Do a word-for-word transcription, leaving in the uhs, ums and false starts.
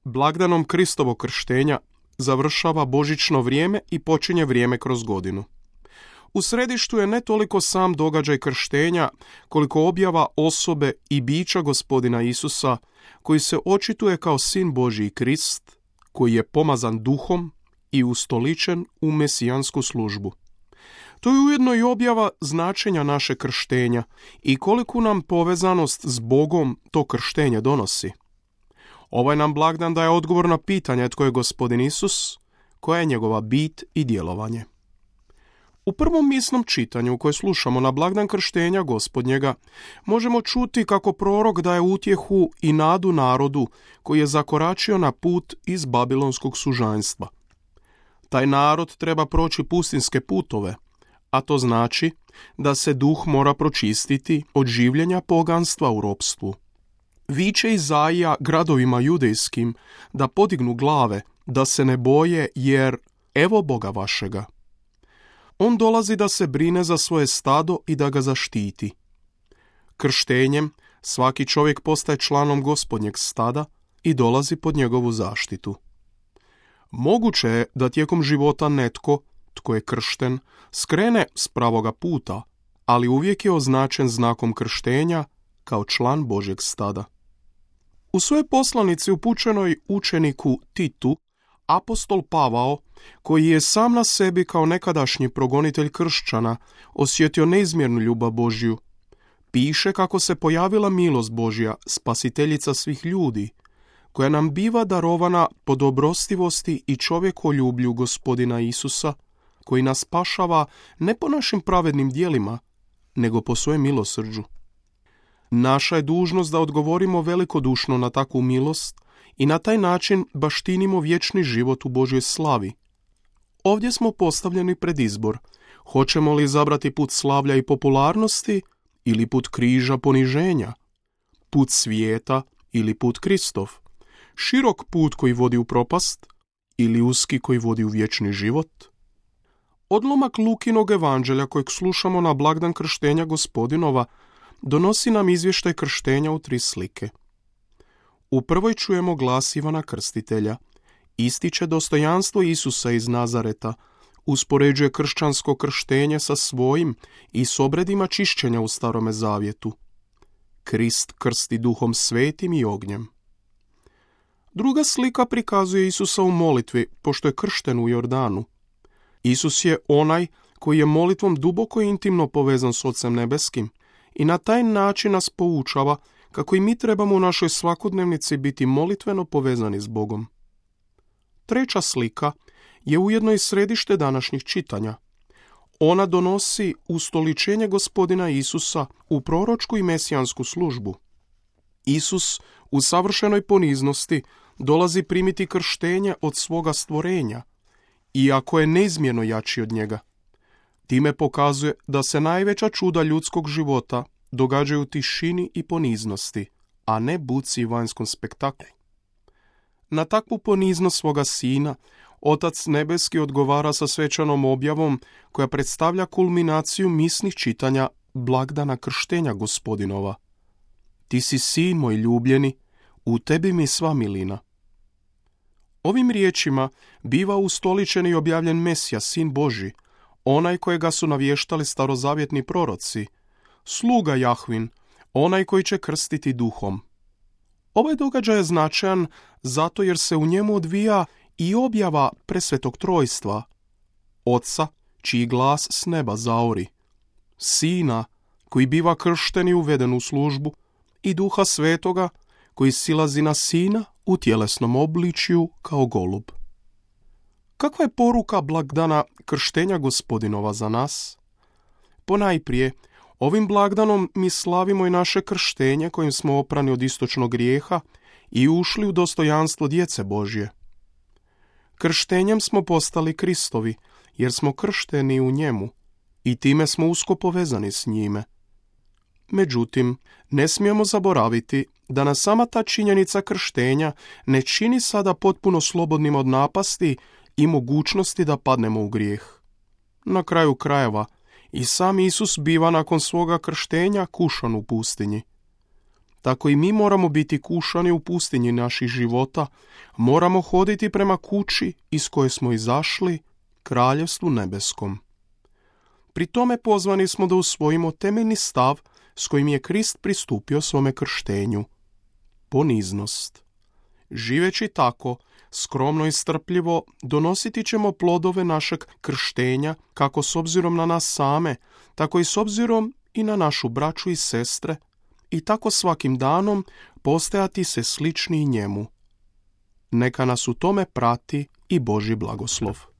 Blagdanom Kristovog krštenja završava božićno vrijeme i počinje vrijeme kroz godinu. U središtu je ne toliko sam događaj krštenja, koliko objava osobe i bića Gospodina Isusa, koji se očituje kao Sin Božji Krist, koji je pomazan duhom i ustoličen u mesijansku službu. To je ujedno i objava značenja naše krštenja i koliku nam povezanost s Bogom to krštenje donosi. Ovaj nam blagdan daje odgovor na pitanje tko je Gospodin Isus, koja je njegova bit i djelovanje. U prvom misnom čitanju koje slušamo na blagdan krštenja Gospodnjega možemo čuti kako prorok daje utjehu i nadu narodu koji je zakoračio na put iz babilonskog sužanjstva. Taj narod treba proći pustinske putove, a to znači da se duh mora pročistiti od življenja poganstva u ropstvu. Viče Izaija gradovima judejskim da podignu glave, da se ne boje, jer evo Boga vašega. On dolazi da se brine za svoje stado i da ga zaštiti. Krštenjem svaki čovjek postaje članom Gospodnjeg stada i dolazi pod njegovu zaštitu. Moguće je da tijekom života netko, tko je kršten, skrene s pravoga puta, ali uvijek je označen znakom krštenja kao član Božjeg stada. U svojoj poslanici upućenoj učeniku Titu, apostol Pavao, koji je sam na sebi kao nekadašnji progonitelj kršćana osjetio neizmjernu ljubav Božju, piše kako se pojavila milost Božja, spasiteljica svih ljudi, koja nam biva darovana po dobrostivosti i čovjekoljublju Gospodina Isusa, koji nas spašava ne po našim pravednim djelima, nego po svojem milosrđu. Naša je dužnost da odgovorimo velikodušno na takvu milost i na taj način baštinimo vječni život u Božjoj slavi. Ovdje smo postavljeni pred izbor. Hoćemo li izabrati put slavlja i popularnosti ili put križa poniženja? Put svijeta ili put Kristov? Širok put koji vodi u propast ili uski koji vodi u vječni život? Odlomak Lukinog evanđelja kojeg slušamo na blagdan krštenja Gospodinova donosi nam izvještaj krštenja u tri slike. U prvoj čujemo glas Ivana Krstitelja. Ističe dostojanstvo Isusa iz Nazareta, uspoređuje kršćansko krštenje sa svojim i s obredima čišćenja u Starome zavjetu. Krist krsti duhom svetim i ognjem. Druga slika prikazuje Isusa u molitvi, pošto je kršten u Jordanu. Isus je onaj koji je molitvom duboko i intimno povezan s Ocem nebeskim i na taj način nas poučava kako i mi trebamo u našoj svakodnevnici biti molitveno povezani s Bogom. Treća slika je ujedno i središte današnjih čitanja. Ona donosi ustoličenje Gospodina Isusa u proročku i mesijansku službu. Isus u savršenoj poniznosti dolazi primiti krštenje od svoga stvorenja, iako je neizmjerno jači od njega. Time pokazuje da se najveća čuda ljudskog života događaju u tišini i poniznosti, a ne buci i vanjskom spektaklu. Na takvu poniznost svoga sina, Otac nebeski odgovara sa svečanom objavom koja predstavlja kulminaciju misnih čitanja blagdana krštenja Gospodinova. Ti si sin moj ljubljeni, u tebi mi sva milina. Ovim riječima biva ustoličen i objavljen Mesija, sin Božji, onaj kojega su navještali starozavjetni proroci, sluga Jahvin, onaj koji će krstiti duhom. Ovaj događaj je značajan zato jer se u njemu odvija i objava presvetog trojstva, Oca, čiji glas s neba zaori, Sina, koji biva kršten i uveden u službu, i Duha Svetoga, koji silazi na Sina u tjelesnom obličju kao golub. Kakva je poruka blagdana krštenja Gospodinova za nas? Ponajprije, ovim blagdanom mi slavimo i naše krštenje kojim smo oprani od istočnog grijeha i ušli u dostojanstvo djece Božje. Krštenjem smo postali Kristovi, jer smo kršteni u njemu i time smo usko povezani s njime. Međutim, ne smijemo zaboraviti da nas sama ta činjenica krštenja ne čini sada potpuno slobodnim od napasti i mogućnosti da padnemo u grijeh. Na kraju krajeva, i sam Isus biva nakon svoga krštenja kušan u pustinji. tako i mi moramo biti kušani u pustinji naših života, moramo hoditi prema kući iz koje smo izašli, kraljevstvu nebeskom. Pri tome pozvani smo da usvojimo temeljni stav s kojim je Krist pristupio svome krštenju. Poniznost. Živeći tako, skromno i strpljivo, donositi ćemo plodove našeg krštenja, kako s obzirom na nas same, tako i s obzirom i na našu braću i sestre, i tako svakim danom postajati se slični njemu. Neka nas u tome prati i Božji blagoslov.